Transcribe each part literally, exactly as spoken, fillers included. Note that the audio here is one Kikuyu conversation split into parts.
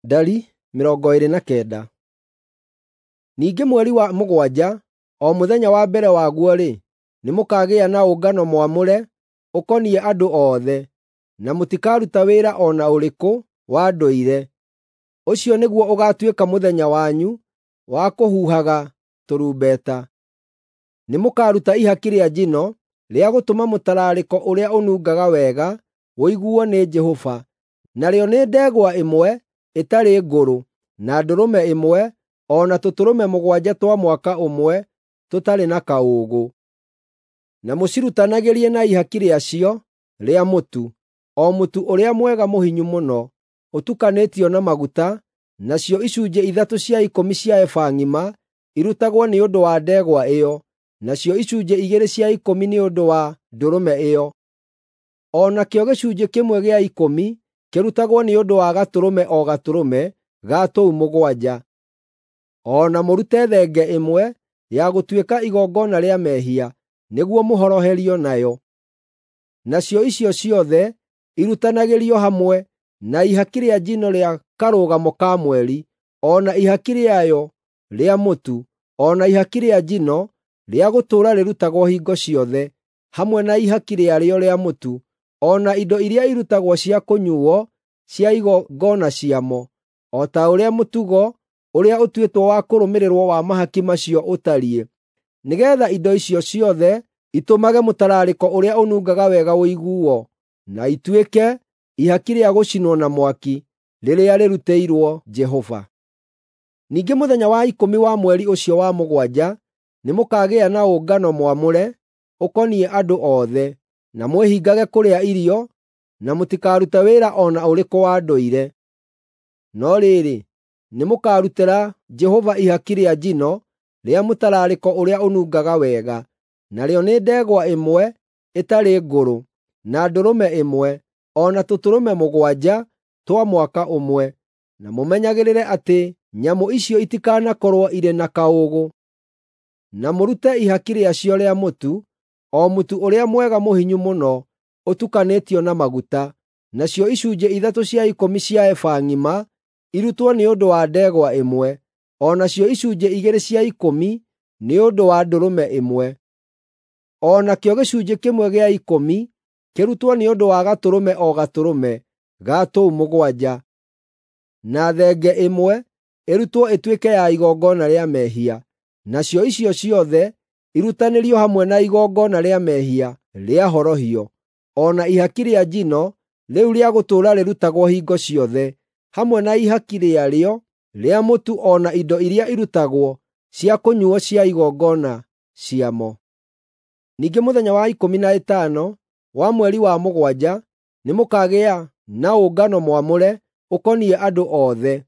Ndari mĩrongo ĩĩrĩ na kenda. Ningĩ mweri wa mũgwanja, o mũthenya wa mbere waguo-rĩ, nĩmũkagĩa na ũngano mwamũre ũkoniĩ andũ othe, na mũtikaruta wĩra o na ũrĩkũ wa ndũire. Ũcio nĩguo ũgaatuĩka mũthenya wanyu wa kũhuhaga tũrumbeta. Nĩmũkaruta ihaki rĩa njino rĩa gũtũma mũtararĩko ũrĩa ũnungaga wega ũiguo nĩ Jehova, narĩo nĩ ndegwa ĩmwe ĩtarĩ ngũrũ, na ndũrũme ĩmwe, o na tũtũrũme mũgwanja twa mwaka ũmwe tũtarĩ na kaũũgũ. Na mũcirutanagĩrie na ihaki rĩacio rĩa mũtu, o mũtu ũrĩa mwega mũhinyu mũno, ũtukanĩtio na maguta, nacio icunjĩ ithatũ cia ikũmi cia eba ng'ima irutagwo nĩ ũndũ wa ndegwa ĩyo, nacio icunjĩ igĩrĩ cia ikũmi nĩ ũndũ wa ndũrũme ĩyo. O nakĩo gĩcunjĩ kĩmwe gĩa ikũmi kĩrutagwo nĩ ũndũ wa gatũrũme o gatũrũme ga tũu mũgwanja. O na mũrute thenge ĩmwe ya gũtuĩka igongona rĩa mehia, nĩguo mũhoroherio nayo. Nacio icio ciothe irutanagĩrio hamwe na ihaki rĩa njino rĩa Karũgamo ka Mweri, o na ihaki rĩayo rĩa mũtu, o na ihaki rĩa njino rĩa gũtũũra rĩrutagwo hingo ciothe, hamwe na ihaki rĩarĩo rĩa mũtu, o na indo iria irutagwo cia kũnyuuo cia igongona ciamo, o ta ũrĩa mũtugo ũrĩa ũtuĩtwo wa kũrũmĩrĩrwo wa mahaki macio ũtariĩ, nĩgeetha indo icio ciothe itũmage mũtararĩko ũrĩa ũnungaga wega ũiguo, na ituĩke ihaki rĩa gũcinwo na mwaki rĩrĩa rĩrutĩirwo Jehova. Ningĩ mũthenya wa ikũmi wa mweri ũcio wa mũgwanja nĩmũkagĩa na ũngano mwamũre ũkoniĩ andũ othe, na mwĩhingage kũrĩa irio, na mũtikarute wĩra o na ũrĩkũ wa ndũire. No rĩrĩ, nĩmũkarutĩra Jehova ihaki rĩa njino rĩa mũtararĩko ũrĩa ũnungaga wega, narĩo nĩ ndegwa ĩmwe ĩtarĩ ngũrũ, na ndũrũme ĩmwe, o na tũtũrũme mũgwanja twa mwaka ũmwe, na mũmenyagĩrĩre atĩ nyamũ icio itikanakorwo irĩ na kaũũgũ. Na mũrute ihaki rĩacio rĩa mũtu, o mũtu ũrĩa mwega mũhinyu mũno ũtukanĩtio na maguta, nacio icunjĩ ithatũ cia ikũmi cia eba ng'ima irutwo nĩ ũndũ wa ndegwa ĩmwe, o nacio icunjĩ igĩrĩ cia ikũmi nĩ ũndũ wa ndũrũme ĩmwe. O nakĩo gĩcunjĩ kĩmwe gĩa ikũmi kĩrutwo nĩ ũndũ wa gatũrũme o gatũrũme ga tũu mũgwanja, na thenge ĩmwe ĩrutwo ĩtuĩke ya igongona rĩa mehia. Nacio icio ciothe irutanĩrio hamwe na igongona rĩa mehia rĩa horohio, o na ihaki rĩa njino rĩu rĩa gũtũũra rĩrutagwo hingo ciothe, hamwe na ihaki rĩarĩo rĩa mũtu o na indo iria irutagwo cia kũnyuuo cia igongona ciamo. Ningĩ mũthenya wa ikũmi na ĩtano wa mweri wa mũgwanja nĩmũkagĩa na ũngano mwamũre ũkoniĩ andũ othe,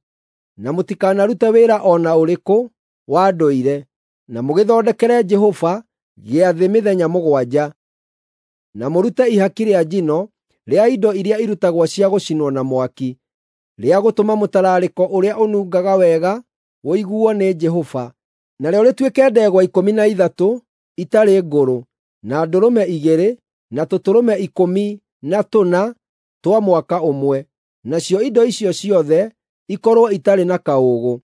na mũtikanarute wĩra o na ũrĩkũ wa ndũire, na mũgĩthondekere Jehova gĩathĩ mĩthenya mũgwanja. Na mũrute ihaki rĩa njino rĩa indo iria irutagwo cia gũcinwo na mwaki, rĩa gũtũma mũtararĩko ũrĩa ũnungaga wega ũiguo nĩ Jehova, narĩo rĩtuĩke ndegwa ikũmi na ithatũ itarĩ ngũrũ, na ndũrũme igĩrĩ, na tũtũrũme ikũmi na tũna twa mwaka ũmwe, nacio indo icio ciothe ikorwo itarĩ na kaũũgũ.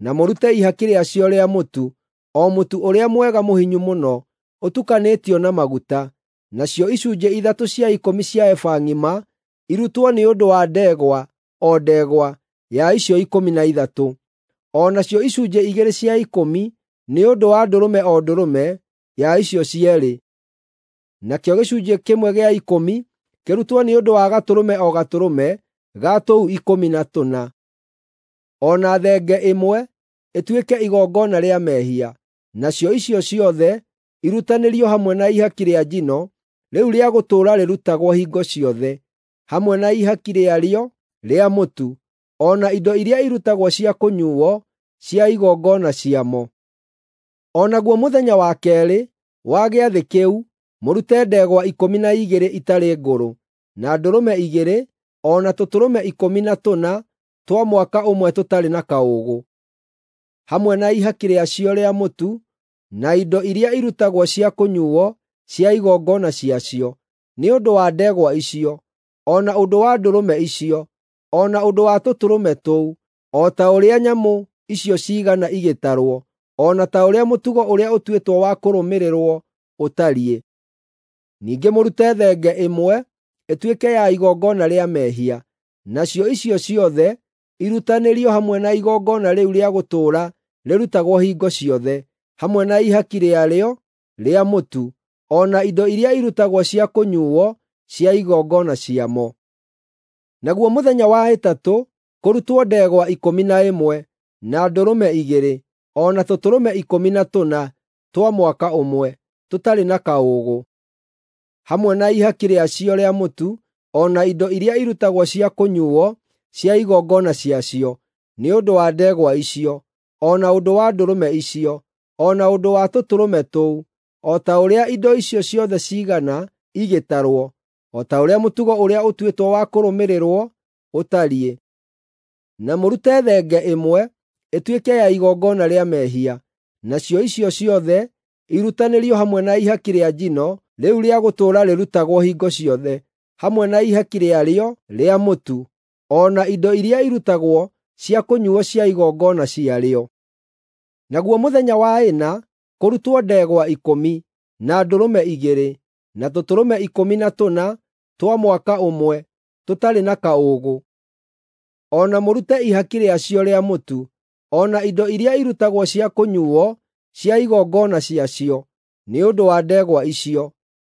Na mũrute ihaki rĩacio rĩa mũtu, o mũtu ũrĩa mwega mũhinyu mũno ũtukanĩtio na maguta, nacio icunjĩ ithatũ cia ikũmi cia eba ng'ima irutwo nĩ ũndũ wa ndegwa o ndegwa ya icio ikũmi na ithatũ, o nacio icunjĩ igĩrĩ cia ikũmi nĩ ũndũ wa ndũrũme o ndũrũme ya icio cierĩ. Nakĩo gĩcunjĩ kĩmwe gĩa ikũmi kĩrutwo nĩ ũndũ wa gatũrũme o gatũrũme ga tũu ikũmi na tũna, o na thenge ĩmwe ĩtuĩke igongona rĩa mehia. Nacio icio ciothe irutanĩrio hamwe na ihaki rĩa njino rĩu rĩa gũtũũra rĩrutagwo hingo ciothe, hamwe na ihaki rĩarĩo rĩa mũtu, o na indo iria irutagwo cia kũnyuuo cia igongona ciamo. O naguo mũthenya wa keerĩ wa gĩathĩ kĩu mũrute ndegwa ikũmi na igĩrĩ itarĩ ngũrũ, na ndũrũme igĩrĩ, o na tũtũrũme ikũmi na tũna twa mwaka ũmwe tũtarĩ na kaũũgũ, hamwe na ihaki rĩacio rĩa mũtu, na indo iria irutagwo cia kũnyuuo cia igongona ciacio, nĩ ũndũ wa ndegwa icio, o na ũndũ wa ndũrũme icio, o na ũndũ wa tũtũrũme tũu, o ta ũrĩa nyamũ icio ciigana igĩtarwo, o na ta ũrĩa mũtugo ũrĩa ũtuĩtwo wa kũrũmĩrĩrwo ũtariĩ. Ningĩ mũrute thenge ĩmwe ĩtuĩke ya igongona rĩa mehia, nacio icio ciothe irutanĩrio hamwe na igongona rĩu rĩa gũtũũra rĩrutagwo hingo ciothe, hamwe na ihaki rĩarĩo rĩa mũtu, o na indo iria irutagwo cia kũnyuuo cia igongona ciamo. Naguo mũthenya wa ĩtatũ kũrutwo ndegwa ikũmi na ĩmwe, na ndũrũme igĩrĩ, o na tũtũrũme ikũmi na tũna twa mwaka ũmwe, tũtarĩ na kaũũgũ, hamwe na ihaki rĩacio rĩa mũtu, o na indo iria irutagwo cia kũnyuuo cia igongona ciacio, nĩ ũndũ wa ndegwa icio, o na ũndũ wa ndũrũme icio, o na ũndũ wa tũtũrũme tũu, o ta ũrĩa indo icio ciothe ciigana igĩtarwo, o ta ũrĩa mũtugo ũrĩa ũtuĩtwo wa kũrũmĩrĩrwo ũtariĩ. Na mũrute thenge ĩmwe ĩtuĩke ya igongona rĩa mehia, nacio icio ciothe irutanĩrio hamwe na ihaki rĩa njino rĩu rĩa gũtũũra rĩrutagwo hingo ciothe, hamwe na ihaki rĩarĩo rĩa mũtu, o na indo iria irutagwo cia kũnyuuo cia igongona ciarĩo. Naguo mũthenya wa ĩna kũrutwo ndegwa ikũmi, na ndũrũme igĩrĩ, na tũtũrũme ikũmi na tũna twa mwaka ũmwe, tũtarĩ na kaũũgũ. O na mũrute ihaki rĩacio rĩa mũtu, o na indo iria irutagwo cia kũnyuuo cia igongona ciacio, nĩ ũndũ wa ndegwa icio,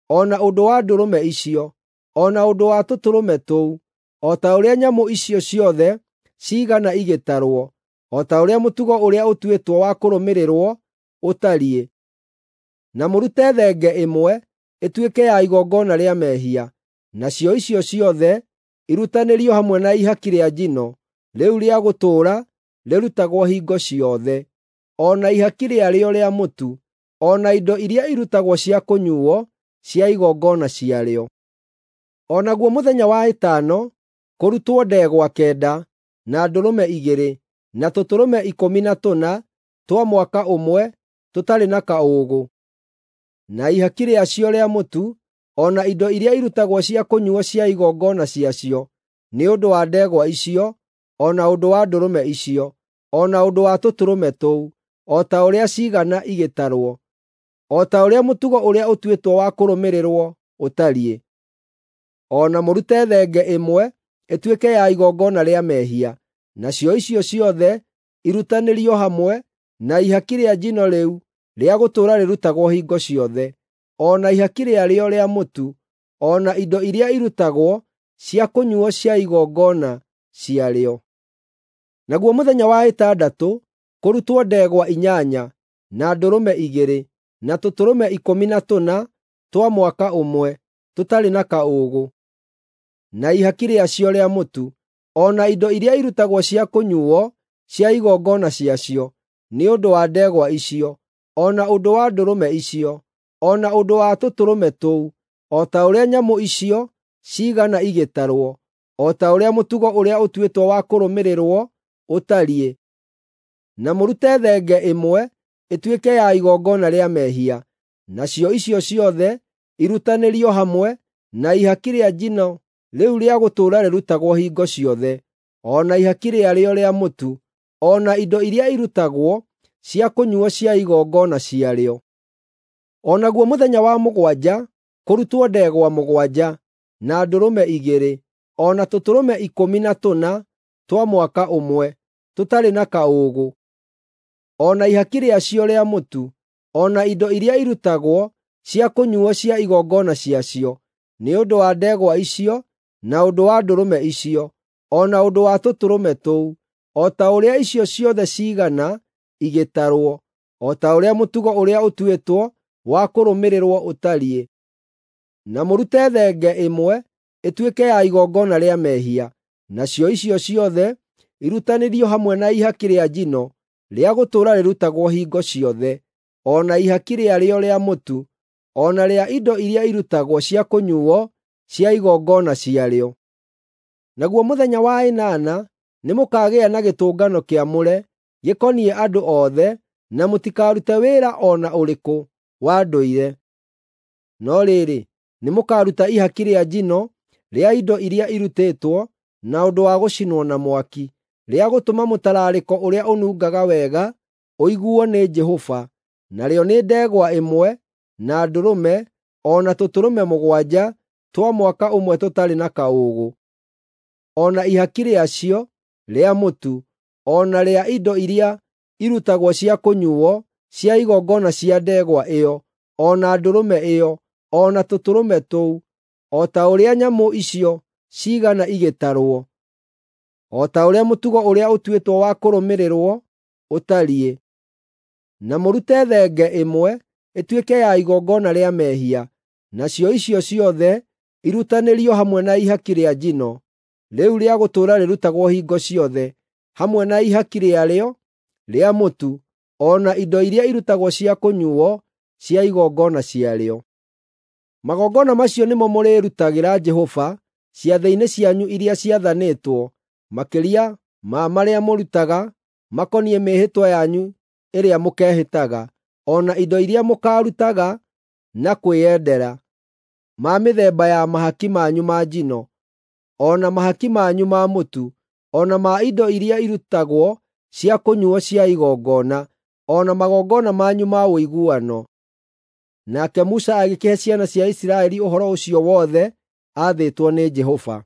o na ũndũ wa ndũrũme icio, o na ũndũ wa tũtũrũme tũu, o ta ũrĩa nyamũ icio ciothe ciigana igĩtarwo, o ta ũrĩa mũtugo ũrĩa ũtuĩtwo wa kũrũmĩrĩrwo ũtariĩ. Na mũrute thenge ĩmwe ĩtuĩke ya igongona rĩa mehia, nacio icio ciothe irutanĩrio hamwe na ihaki rĩa njino rĩu rĩa gũtũũra rĩrutagwo hingo ciothe, o na ihaki rĩarĩo rĩa mũtu, o na indo iria irutagwo cia kũnyuuo cia igongona ciarĩo. O naguo mũthenya wa ĩtano kũrutwo ndegwa kenda, na ndũrũme igĩrĩ, na tũtũrũme ikũmi na tũna twa mwaka ũmwe, tũtarĩ na kaũũgũ, na ihaki rĩacio rĩa mũtu, o na indo iria irutagwo cia kũnyuuo cia igongona ciacio, nĩ ũndũ wa ndegwa icio, o na ũndũ wa ndũrũme icio, o na ũndũ wa tũtũrũme tũu, o ta ũrĩa ciigana igĩtarwo, o ta ũrĩa mũtugo ũrĩa ũtuĩtwo wa kũrũmĩrĩrwo ũtariĩ. O na mũrute thenge ĩmwe ĩtuĩke ya igongona rĩa mehia, nacio icio ciothe irutanĩrio hamwe na ihaki rĩa njino rĩu rĩa gũtũũra rĩrutagwo hingo ciothe, o na ihaki rĩarĩo rĩa mũtu, o na indo iria irutagwo cia kũnyuuo cia igongona ciarĩo. Naguo mũthenya wa ĩtandatũ kũrutwo ndegwa inyanya, na ndũrũme igĩrĩ, na tũtũrũme ikũmi na tũna twa mwaka ũmwe, tũtarĩ na kaũũgũ, na ihaki rĩacio rĩa mũtu, o na indo iria irutagwo cia kũnyuuo cia igongona ciacio, nĩ ũndũ wa ndegwa icio, o na ũndũ wa ndũrũme icio, o na ũndũ wa tũtũrũme tũu, o ta ũrĩa nyamũ icio ciigana igĩtarwo, o ta ũrĩa mũtugo ũrĩa ũtuĩtwo wa kũrũmĩrĩrwo ũtariĩ. Na mũrute thenge ĩmwe ĩtuĩke ya igongona rĩa mehia, nacio icio ciothe irutanĩrio hamwe na ihaki rĩa njino rĩu rĩa gũtũũra rĩrutagwo hingo ciothe, o na ihaki rĩarĩo rĩa mũtu, o na indo iria irutagwo cia kũnyuuo cia igongona ciarĩo. O naguo mũthenya wa mũgwanja kũrutwo ndegwa mũgwanja, na ndũrũme igĩrĩ, o na tũtũrũme ikũmi na tũna twa mwaka ũmwe, tũtarĩ na kaũũgũ, o na ihaki rĩacio rĩa mũtu, o na indo iria irutagwo cia kũnyuuo cia igongona ciacio, nĩ ũndũ wa ndegwa icio, na ũndũ wa ndũrũme icio, o na ũndũ wa tũtũrũme tũu, o ta ũrĩa icio ciothe ciigana igĩtarwo, o ta ũrĩa mũtugo ũrĩa ũtuĩtwo wa kũrũmĩrĩrwo ũtariĩ. Na mũrute thenge ĩmwe ĩtuĩke ya igongona rĩa mehia, nacio icio ciothe irutanĩrio hamwe na ihaki rĩa njino rĩa gũtũũra rĩrutagwo hingo ciothe, o na ihaki rĩarĩo rĩa mũtu, o na rĩa indo iria irutagwo cia kũnyuuo cia igongona ciarĩo. Naguo mũthenya wa ĩnana nĩmũkagĩa na gĩtũngano kĩamũre gĩkoniĩ andũ othe, na mũtikarute wĩra o na ũrĩkũ wa ndũire. No rĩrĩ, nĩmũkaruta ihaki rĩa njino rĩa indo iria irutĩtwo na ũndũ wa gũcinwo na mwaki, rĩa gũtũma mũtararĩko ũrĩa ũnungaga wega ũiguo nĩ Jehova, narĩo nĩ ndegwa ĩmwe, na ndũrũme, o na tũtũrũme mũgwanja twa mwaka ũmwe tũtarĩ na kaũũgũ. O na ihaki rĩacio rĩa mũtu, o na rĩa indo iria irutagwo cia kũnyuuo cia igongona cia ndegwa ĩyo, o na ndũrũme ĩyo, o na tũtũrũme tũu, o ta ũrĩa nyamũ icio ciigana igĩtarwo, o ta ũrĩa mũtugo ũrĩa ũtuĩtwo wa kũrũmĩrĩrwo ũtariĩ. Na mũrute thenge ĩmwe ĩtuĩke ya igongona rĩa mehia, nacio icio ciothe irutanĩrio hamwe na ihaki rĩa njino, rĩu rĩa gũtũũra rĩrutagwo hingo ciothe, hamwe na ihaki rĩarĩo rĩa mũtu, o na indo iria irutagwo cia kũnyuuo cia igongona ciarĩo. Magongona macio nĩmo mũrĩrutagĩra Jehova ciathĩ-inĩ cianyu iria ciathanĩtwo, makĩria ma marĩa mũrutaga makoniĩ mĩĩhĩtwa yanyu ĩrĩa mũkehĩtaga, o na indo iria mũkaarutaga na kwĩyendera, ma mĩthemba ya mahaki manyu ma njino, o na mahaki manyu ma mũtu, o na ma indo iria irutagwo cia kũnyuuo cia igongona, o na magongona manyu ma ũiguano. Nake Musa agĩkĩhe ciana cia Isiraeli ũhoro ũcio wothe aathĩtwo nĩ Jehova.